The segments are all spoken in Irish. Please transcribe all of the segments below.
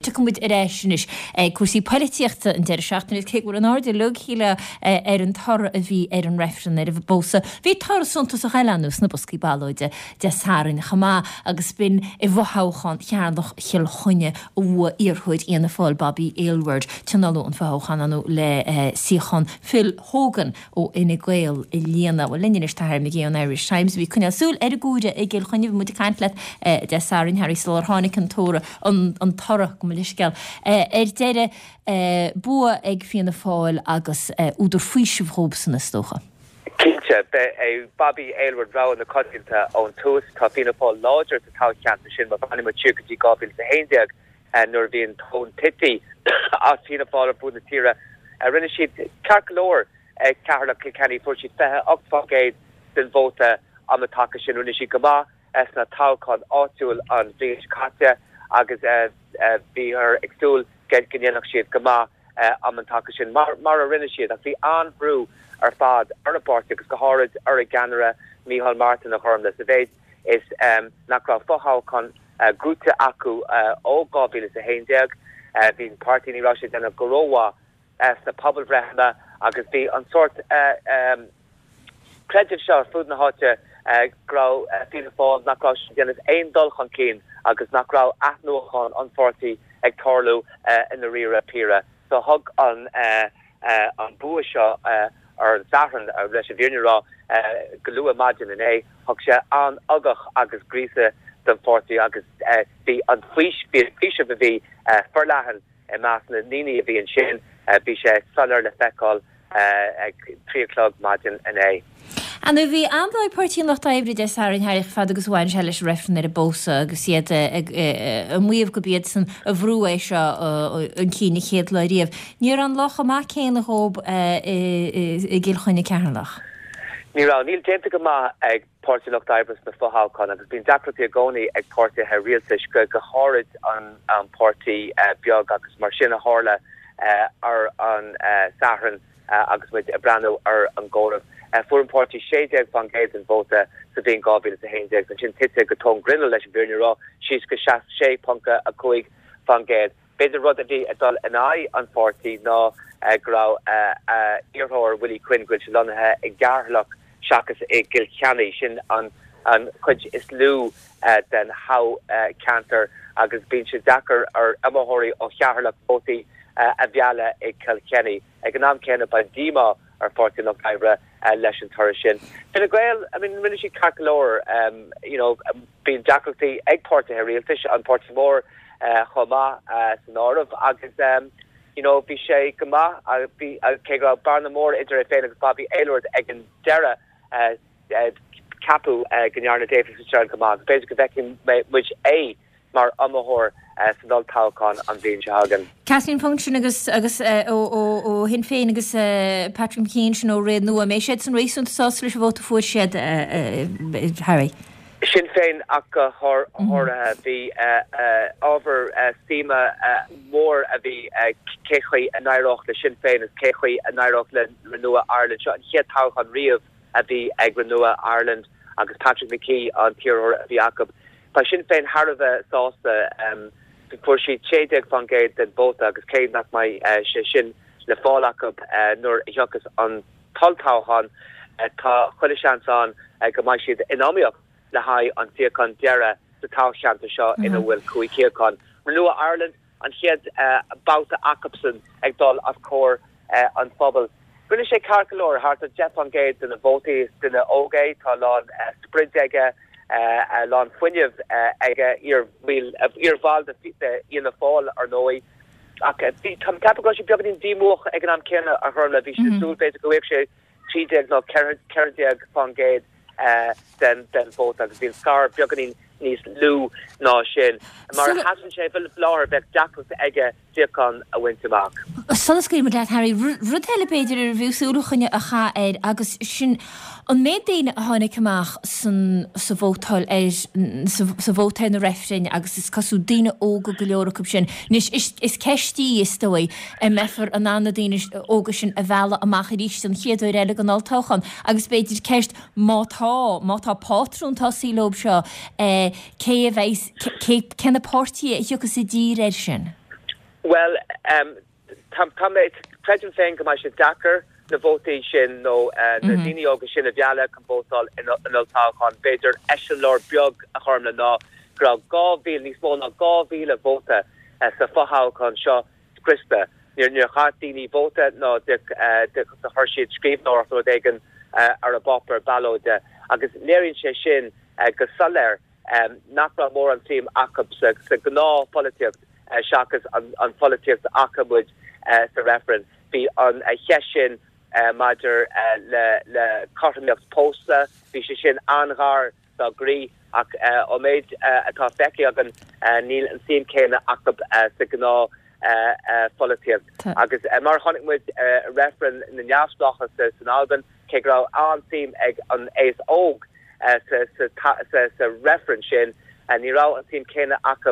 Tiocfaidh muid ar ais anois ag cúrsaí poilitíochta an deireadh seachtaine cé go bhfuil an aird uilig, shílfeá, ar an toradh a bhí ar an reifreann ar an bpósadh. Bhí toradh suntasach eile ann sna boscaí ballóide Dé Sathairn chomh maith agus b'in i bhfothoghchán Cheatharlach Chill Chainnigh a bhuaigh iarrthóir Fhianna Fáil Bobby Aylward. Tionóladh an fothoghchán ann le suíochán Phil Hogan ó Fhine Gael a líonadh. Bhuel, linn anois tá Harry McGee ón Irish Times a bhí ag coinneáil súil ar an gcomhaireamh i gCill Chainnigh. Bhí muid ag caint leat Dé Sathairn, Harry, sular tháinig an toradh, an toradh, gabh mo leithscéal. Ar deireadh, bua ag Fianna Fáil agus údar faoisimh dhóibhsan, is dócha. Cinnte, ba é Bobby Aylward rogha na coitianta ón tús. Tá Fianna Fáil láidir sa toghcheantar sin má bhreathnaíonn muid siar go dtí 2011 nuair a bhí an tóin tite as Fianna Fáil ar fud na tíre. Rinne siad ceart go leor ag Ceatharlach Kilkenny, fuair siad 28% den vóta am an taca sin. Rinne siad go maith sna toghcháin áitiúil an bhliain seo caite agus bhíothar ag súil go ndéanfadh siad go maith am an taca sin, mar a rinne siad. Ach bhí an-bhrú ar fad ar an bpáirtí agus go háirid ar a gceannaire Micheál Martin, a Ghormlaith, sa mhéid is nach raibh fothoghchán gnóthaithe acu ó 2011. Bhí an páirtí, ní raibh sé ag déanamh go rómhaith sna pobalbhreitheanna agus bhí an sórt creideamh seo ar fud na háite go raibh Fianna Fáil, nach raibh siad ag déanamh aon dul chun cinn agus nach raibh athnuachan an pháirtí ag tarlú i ndáiríre píre. So thug an an bua seo ar an Satharn, leis an bhfírinne a rá, go luath maidin inné, thug sé an-ugach agus gríosadh don pháirtí agus bhí an faoiseamh a bhí forleathan I measc na ndaoine a bhí ansin, bhí sé soiléir le feiceáil ag 3 a chlog maidin inné. Ar ndóigh, bhí an-lá ag Páirtí an Lucht Oibre Dé Sathairn, Harry, chomh fada agus a bhain sé leis an reifreann ar an bpósadh agus iad ag maíomh gurb iadsan a bhrúigh é seo chun cinn an chéad lá riamh. Ní raibh an lá chomh maith céanna dhóib i gCill Chainnigh Ceatharlach. Ní raibh. Níl déanta go maith ag Páirtí an Lucht Oibre sna fothoghcháin agus bíonn deacrachtaí i gcónaí ag páirtithe rialtais, go háirid an páirtí beag agus mar sin a tharla ar an Satharn agus muid ag breathnú ar an gcomhaireamh. Fuair an páirtí 16% den vóta sa bhliain 2011, ansin tite go tóin grinnill leis an bhfírinne a rá, síos go 6.5%. B'fhéidir rud a bhí ag dul in aghaidh an pháirtí ná go raibh a iarrthóir Willie Quinn, go bhfuil sé lonnaithe i gCeatharlach seachas i gCill Chainnigh, sin an chuid is lú den thoghcheantar agus bíonn sé deacair ar iomaitheoirí ó Cheatharlach vótaí a mhealladh i gCill Chainnigh. Ag an am céanna beidh díomá ar Pháirtí an Lucht Oibre leis an toradh sin. Fine Gael, I mean rinne siad ceart go leor, you know, bíonn deacrachtaí ag páirtithe rialtais, an páirtí mór chomh maith san áireamh agus you know bhí sé go maith, bhí, cé go raibh bearna mór idir é féin agus Bobby Aylward ag an deireadh, ceapadh go ndearna David Fitzgerald go maith agus b'fhéidir go bhfeicfidh muid é mar iomaitheoir san olltoghchán an bhliain seo chugainn. Kathleen Funchion agus agus ó Shinn Féin agus Patrick McKee ansin ó Ré Nua. An mbeidh siadsan réasúnta sásta leis an vóta a fuair siad, Harry? Sinn Féin ach go háirithe. Bhí ábhar suime mór a bhí cé chaoi a n-éireodh le Sinn Féin agus cé chaoi a n-éireodh le Renua Ireland. Seo an chéad toghchán riamh a bhí ag Renua Ireland agus Patrick McKee an t-iarrthóir a bhí acu. Tá Sinn Féin thar a bheith sásta. Fuair siad 16% den vóta agus cé nach mbeidh sé sin le fáil acu nuair a thiocfas an t-olltoghchán, tá chuile sheans ann go mbeidh siad in iomaíocht le haghaidh an suíochán deiridh sa toghcheantar seo ina bhfuil 5 shuíochán. Renua Ireland, an chéad babhta acubsan ag dul os comhair an phobail. Rinne sé ceart go leor, thart ar 10% de na vótaí. Is duine óg é, tá a lán sprid aige, a lán fuinnimh aige, iarbhall de Fhianna Fáil ar ndóigh. Ach bhí, tá mé ag ceapadh go raibh sé beagáinín díomúach ag an am céanna, a Ghormlaith. Bhí sé ag súil b'fhéidir go bhfaigheadh sé 13 nó 14% den vóta agus bhí an scar beagáinín níos lú ná sin. Mar a sheasann sé faoi láthair, bheadh deacracht aige suíochán a bhaint amach. Sula scaoilfidh muid leat, Harry, rud eile b'fhéidir arbh fhiú súil a choinneáil a chaitheamh air agus sin an méid daoine a tháinig amach san sa vótáil ar sa vóta ar na reifrinn agus is cosúil daoine óga go leor acu sin. Anois is ceist í, is dóigh, an mbeifear in ann na daoine óga sin a mhealladh amach arís don chéad uair eile den olltoghchán agus b'fhéidir ceist má tá, má tá pátrún tosaithe leo seo, cé a bheidh, cé, cé na páirtithe a thiocfas i dtír air sin? Bhuel, tá mé, creidim féin go mbeidh sé deacair na vótaí sin nó na daoine óga sin a mhealladh chun vótáil in olltoghchán. B'fhéidir eiseamláir beag a Ghormfhlaith ná go raibh 2,000, níos mó ná 2,000 vóta sa fothoghchán seo scriosta. Níor chaith daoine vóta ná do chuir siad scríbhneoireacht nó rud éigin ar a bpáipéar ballóide agus léiríonn sé sin go soiléir nach raibh mórán suim acu sa ghnáthpholaitíocht seachas an pholaitíocht a fhaca muid sa reifreann. Bhí an cheist sin maidir le cothromaíocht pósta, bhí sé sin an-ghar dá gcroí ach ón méid atá feicthe againn níl an suim céanna acu sa ghnáthpholaitíocht. Agus mar a chonaic muid i reifreann na neamhspleáchas san Albain, cé go raibh an-suim ag an aos óg sa reifreann sin, ní raibh an tsuim chéanna acu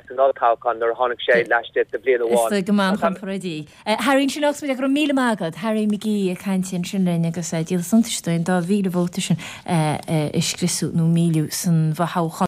san olltoghchán nuair a tháinig sé laistigh de bhliain amháin. Is dóigh go mbeidh an chomparáidí. Harry, ansin agus go raibh míle maith agat. Harry McGee ag caint ansin linn agus díol suntais dúinn 2,000 vóta sin a scriosadh nó milleadh san fhothoghchán.